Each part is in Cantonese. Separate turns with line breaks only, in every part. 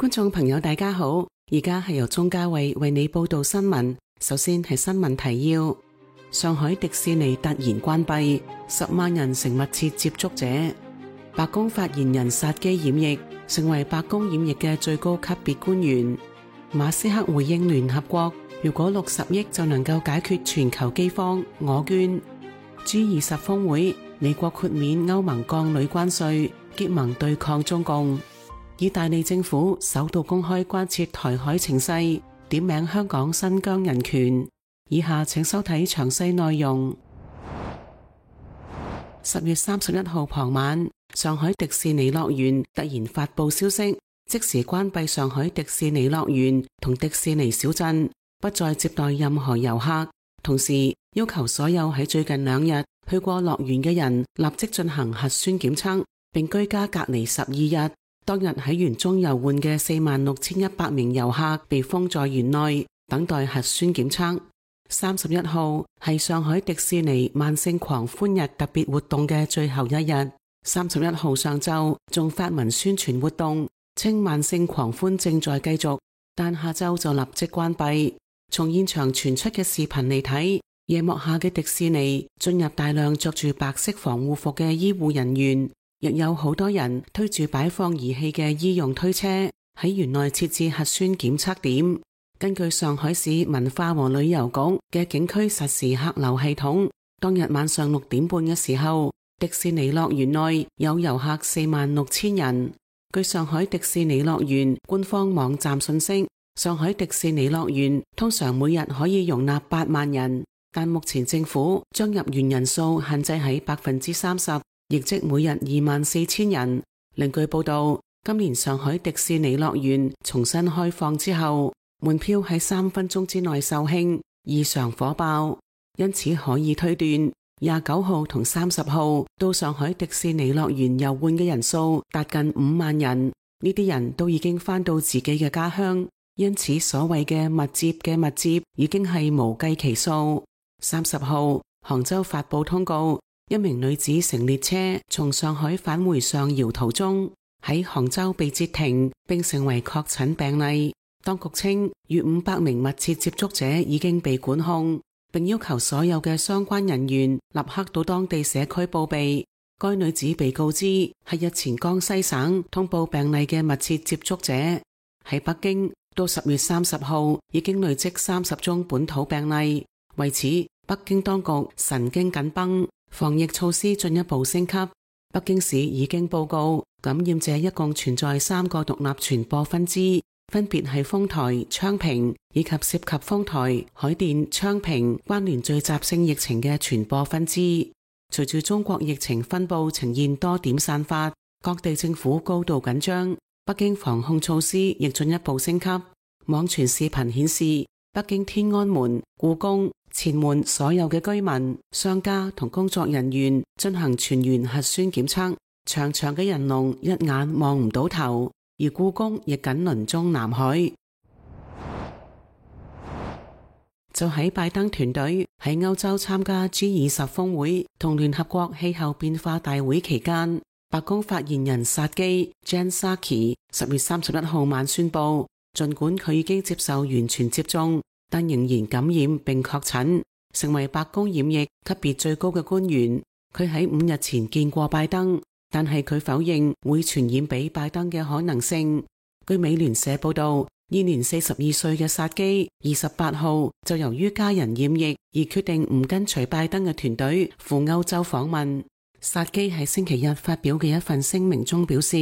觀眾朋友大家好，而家係由鍾嘉慧為你報道新聞。首先係新聞提要：上海迪士尼突然關閉，10萬人成密切接觸者。白宮發言人薩基染疫，成為白宮染疫嘅最高級別官員。馬斯克回應聯合國，如果60億就能夠解決全球饑荒，我捐。G20 峰會，美國豁免歐盟鋼鋁關稅，結盟對抗中共。意大利政府首度公開關切台海情勢，點名香港新疆人權。以下請收睇詳細內容。10月31號傍晚，上海迪士尼樂園突然發布消息，即時關閉上海迪士尼樂園同迪士尼小鎮，不再接待任何遊客，同時要求所有喺最近2日去過樂園嘅人立即進行核酸檢測，並居家隔離12日。當日喺園中遊玩嘅46,100名遊客被封在園內，等待核酸檢測。31號係上海迪士尼萬聖狂歡日特別活動嘅最後一日。31號上晝仲發文宣傳活動，稱萬聖狂歡正在繼續，但下晝就立即關閉。從現場傳出嘅視頻嚟睇，夜幕下嘅迪士尼進入大量着住白色防護服嘅醫護人員。亦有好多人推住擺放儀器嘅醫用推車喺園內設置核酸檢測點。根據上海市文化和旅遊局嘅景區實時客流系統，當日晚上6點半嘅時候，迪士尼樂園內有遊客46,000人。據上海迪士尼樂園官方網站信息，上海迪士尼樂園通常每日可以容納8萬人，但目前政府將入園人數限制喺30%。亦即每日24,000人。另據報道，今年上海迪士尼樂園重新開放之後，門票喺3分鐘之內售罄，異常火爆。因此可以推斷，29號同30號到上海迪士尼樂園遊玩嘅人數達近5萬人。呢啲人都已經返到自己嘅家鄉，因此所謂嘅密接嘅密接已經係無計其數。30號，杭州發布通告。一名女子乘列車從上海返回上饒途中，喺杭州被截停，並成為確診病例。當局稱，逾500名密切接觸者已經被管控，並要求所有嘅相關人員立刻到當地社區報備。該女子被告知係日前江西省通報病例嘅密切接觸者。喺北京，到10月30號已經累積30宗本土病例。為此，北京當局神經緊繃。防疫措施進一步升級，北京市已經報告感染者一共存在3個獨立傳播分支，分別係豐台、昌平以及涉及豐台、海淀、昌平關聯聚集性疫情嘅傳播分支。隨住中國疫情分佈呈現多點散發，各地政府高度緊張，北京防控措施亦進一步升級。網傳視頻顯示，北京天安門、故宮、前門所有嘅居民、商家同工作人員進行全員核酸檢測，長長嘅人龍一眼望唔到頭，而故宮亦緊鄰中南海。就喺拜登團隊喺歐洲參加 G20 峰會同聯合國氣候變化大會期間，白宮發言人薩基 Jen Psaki 10月31號晚宣布，儘管佢已經接受完全接種，但仍然感染並確診，成為白宮染疫級別最高嘅官員。佢喺5日前見過拜登，但係佢否認會傳染俾拜登嘅可能性。據美聯社報道，現年42歲嘅薩基28號就由於家人染疫而決定唔跟隨拜登嘅團隊赴歐洲訪問。薩基喺星期日發表嘅一份聲明中表示，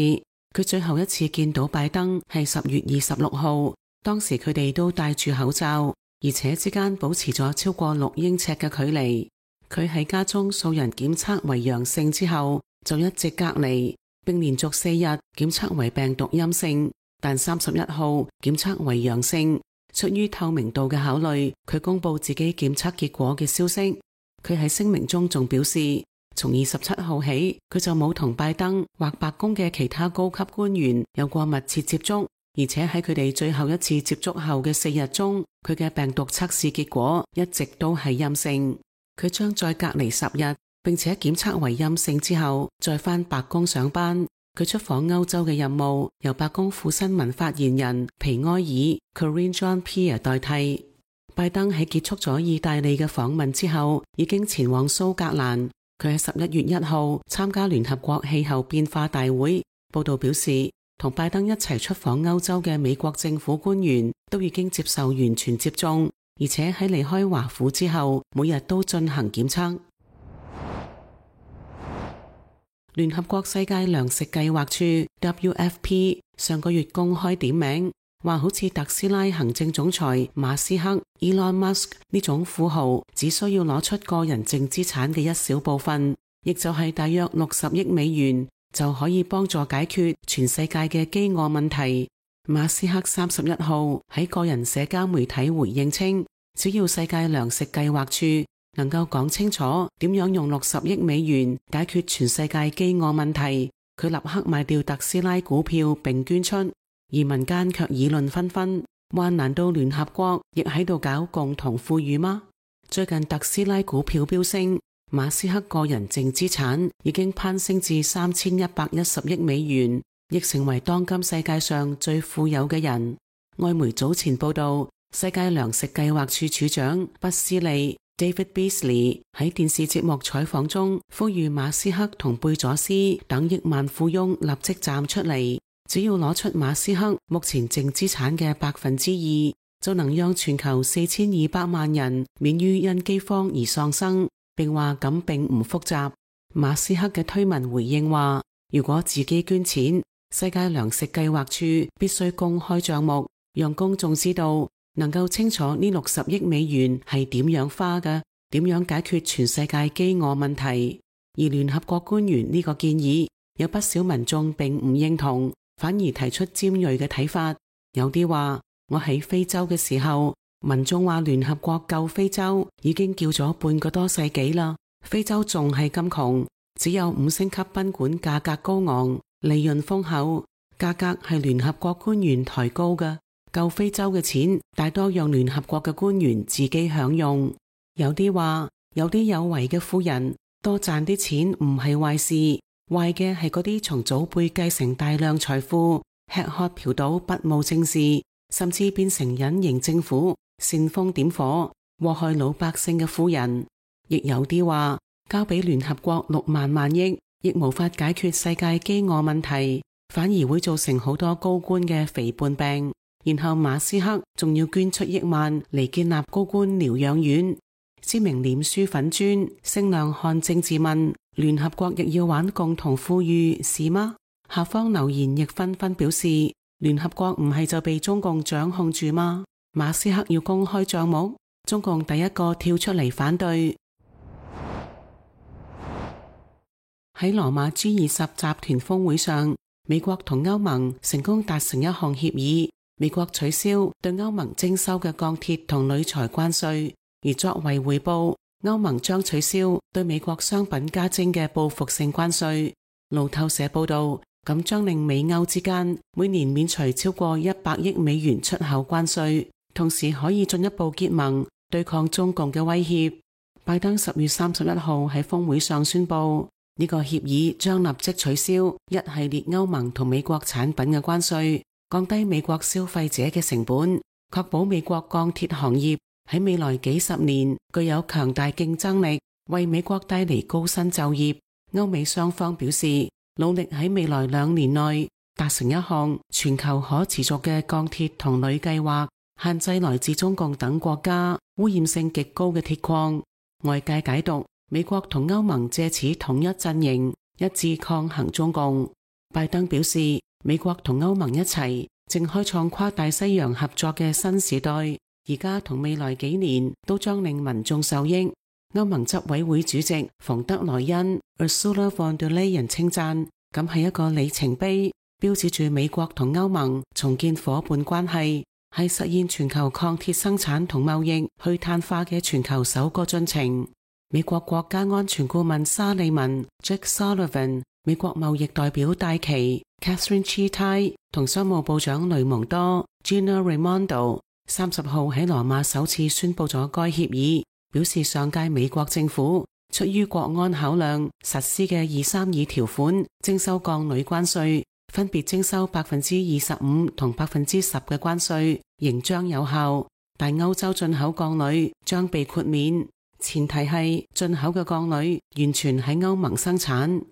佢最後一次見到拜登係10月26號，當時佢哋都戴住口罩，而且之間保持咗超過6英尺嘅距離。佢喺家中數人檢測為陽性之後，就一直隔離，並連續4日檢測為病毒陰性，但31號檢測為陽性。出於透明度嘅考慮，佢公布自己檢測結果嘅消息。佢喺聲明中仲表示，從27號起，佢就冇同拜登或白宮嘅其他高級官員有過密切接觸。而且喺佢哋最後一次接觸後嘅4日中，佢嘅病毒測試結果一直都係陰性。佢將再隔離10日，並且檢測為陰性之後再返白宮上班。佢出訪歐洲嘅任務由白宮副新聞發言人皮埃爾 Karine Jean-Pierre 代替。拜登喺結束咗意大利嘅訪問之後，已經前往蘇格蘭。佢喺11月1號參加聯合國氣候變化大會。報道表示，同拜登一齊出訪歐洲嘅美國政府官員都已經接受完全接種，而且喺離開華府之後，每日都進行檢測。聯合國世界糧食計劃處 WFP 上個月公開點名，話好似特斯拉行政總裁馬斯克 Elon Musk 呢種富豪，只需要攞出個人淨資產嘅一小部分，亦就係大約60億美元，就可以幫助解決全世界嘅飢餓問題。馬斯克31號喺個人社交媒體回應稱，只要世界糧食計劃處能夠講清楚點樣用60億美元解決全世界飢餓問題，佢立刻賣掉特斯拉股票並捐出。而民間卻議論紛紛，話難道聯合國亦喺度搞共同富裕嗎？最近特斯拉股票飆升，馬斯克個人淨資產已經攀升至3110億美元，亦成為當今世界上最富有嘅人。外媒早前報道，世界糧食計劃處處長畢斯利 David Beasley 喺電視節目採訪中呼籲馬斯克同貝佐斯等億萬富翁立即站出嚟，只要攞出馬斯克目前淨資產嘅2%，就能讓全球4200萬人免於因饑荒而喪生，並話咁並唔複雜。馬斯克嘅推文回應話，如果自己捐錢，世界糧食計劃處必須公開賬目，讓公眾知道，能夠清楚呢60億美元係點樣花嘅，點樣解決全世界飢餓問題。而聯合國官員呢個建議，有不少民眾並唔認同，反而提出尖銳嘅睇法。有啲話，我喺非洲嘅時候，民眾話聯合國救非洲已經叫咗半個多世紀啦，非洲仲係咁窮，只有5星級賓館價格高昂，利潤豐厚，價格係聯合國官員抬高嘅。救非洲嘅錢大多讓聯合國嘅官員自己享用。有啲話，有啲有為嘅富人多賺啲錢唔係壞事，壞嘅係嗰啲從祖輩繼承大量財富，吃喝嫖賭不務正事，甚至變成隱形政府，煽風點火，禍害老百姓嘅富人。亦有啲話，交俾聯合國6萬萬億，亦無法解決世界飢餓問題，反而會造成好多高官嘅肥胖病。然後馬斯克仲要捐出億萬嚟建立高官療養院。知名臉書粉專聲量看政治問，聯合國亦要玩共同富裕是嗎？下方留言亦紛紛表示，聯合國唔係就被中共掌控住嗎？馬斯克要公開賬目，中共第一個跳出嚟反對。喺羅馬 G20 集團峰會上，美國同歐盟成功達成一項協議，美國取消對歐盟徵收嘅鋼鐵同鋁材關稅，而作為回報，歐盟將取消對美國商品加徵嘅報復性關稅。路透社報道，咁將令美歐之間每年免除超過100億美元出口關稅，同時可以進一步結盟對抗中共嘅威脅。拜登10月31號喺峰會上宣布，呢個協議將立即取消一系列歐盟同美國產品嘅關稅，降低美國消費者嘅成本，確保美國鋼鐵行業喺未來幾十年具有強大競爭力，為美國帶嚟高薪就業。歐美雙方表示，努力喺未來2年內達成一項全球可持續嘅鋼鐵同鋁計劃，限制來自中共等國家污染性極高嘅鐵礦。外界解讀，美國同歐盟借此統一陣營，一致抗衡中共。拜登表示，美國同歐盟一齊正開創跨大西洋合作嘅新時代，而家同未來幾年都將令民眾受益。歐盟執委會主席馮德萊恩 Ursula von der Leyen 稱讚，咁係一個里程碑，標誌住美國同歐盟重建伙伴關係，係實現全球鋼鐵生產同貿易去碳化嘅全球首個進程。美國國家安全顧問沙利文 Jake Sullivan、美國貿易代表戴琪 Catherine Chaitai 同商務部長雷蒙多 Gina Raimondo 30號喺羅馬首次宣布咗該協議，表示上屆美國政府出於國安考量實施嘅232條款徵收鋼鋁關稅，分別徵收25%同10%嘅關稅，仍將有效。但歐洲進口鋼鋁將被豁免，前提係進口嘅鋼鋁完全喺歐盟生產。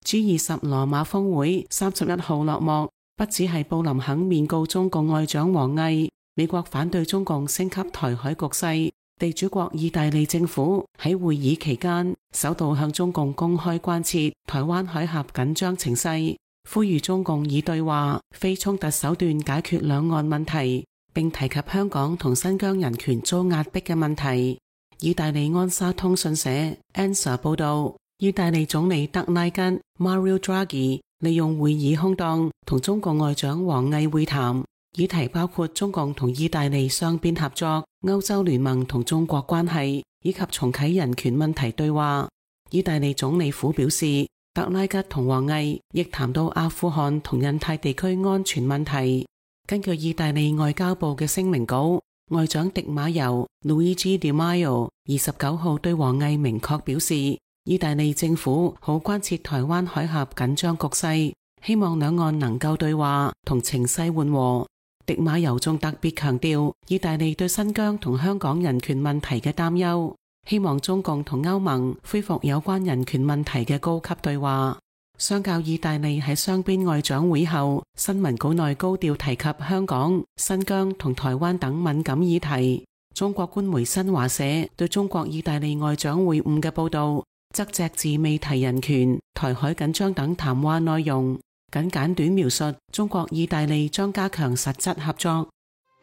G20 羅馬峰會31號落幕，不只係布林肯面告中共外長王毅，美國反對中共升級台海局勢。地主國意大利政府喺會議期間首度向中共公開關切台灣海峽緊張情勢，呼籲中共以對話、非衝突手段解決兩岸問題，並提及香港同新疆人權遭壓迫嘅問題。意大利安莎通訊社 ANSA 報道，意大利總理德拉吉 Mario Draghi 利用會議空檔同中共外長王毅會談。議題包括中共同意大利雙邊合作、歐洲聯盟同中國關係，以及重啟人權問題對話。意大利總理府表示，德拉吉同王毅亦談到阿富汗同印太地區安全問題。根據意大利外交部嘅聲明稿，外長迪馬尤 Luigi Di Maio 29號對王毅明確表示，意大利政府好關切台灣海峽緊張局勢，希望兩岸能夠對話同情勢緩和。迪馬尤仲特別強調意大利對新疆同香港人權問題嘅擔憂，希望中共同歐盟恢復有關人權問題嘅高級對話。相較意大利喺雙邊外長會後新聞稿內高調提及香港、新疆同台灣等敏感議題，中國官媒新華社對中國意大利外長會晤嘅報道則隻字未提人權、台海緊張等談話內容，僅簡短描述中國意大利將加強實質合作。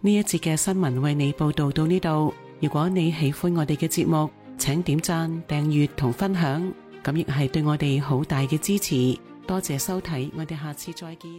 呢一節嘅新聞為你報道到呢度。如果你喜歡我哋嘅節目，請點讚、訂閱同分享，咁亦係對我哋好大嘅支持。多謝收睇，我哋下次再見。